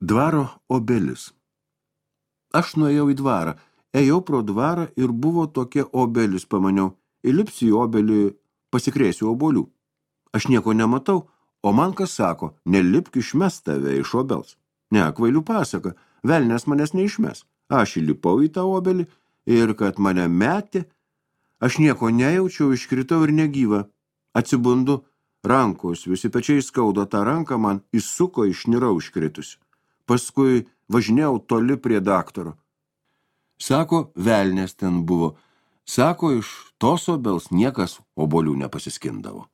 Dvaro obelis. Aš nuėjau į dvarą, ėjau pro dvarą ir buvo tokia obelis, pamaniau, įlipsiu į obelį, pasikrėsiu obuolių. Aš nieko nematau, o man kas sako, nelipk, išmes tave iš obels. Ne, kvailių pasaka, velnias manęs neišmes. Aš įlipau į tą obelį ir kad mane metė, aš nieko nejaučiau, iškritau ir negyva. Atsibundu, rankos, visi pečiai skauda, tą ranką man įsuko, išnirau iškritusi. Paskui važinėjau toli prie daktaro. Sako, velnias ten buvo. Sako, iš tos obels niekas obuolių nepasiskindavo.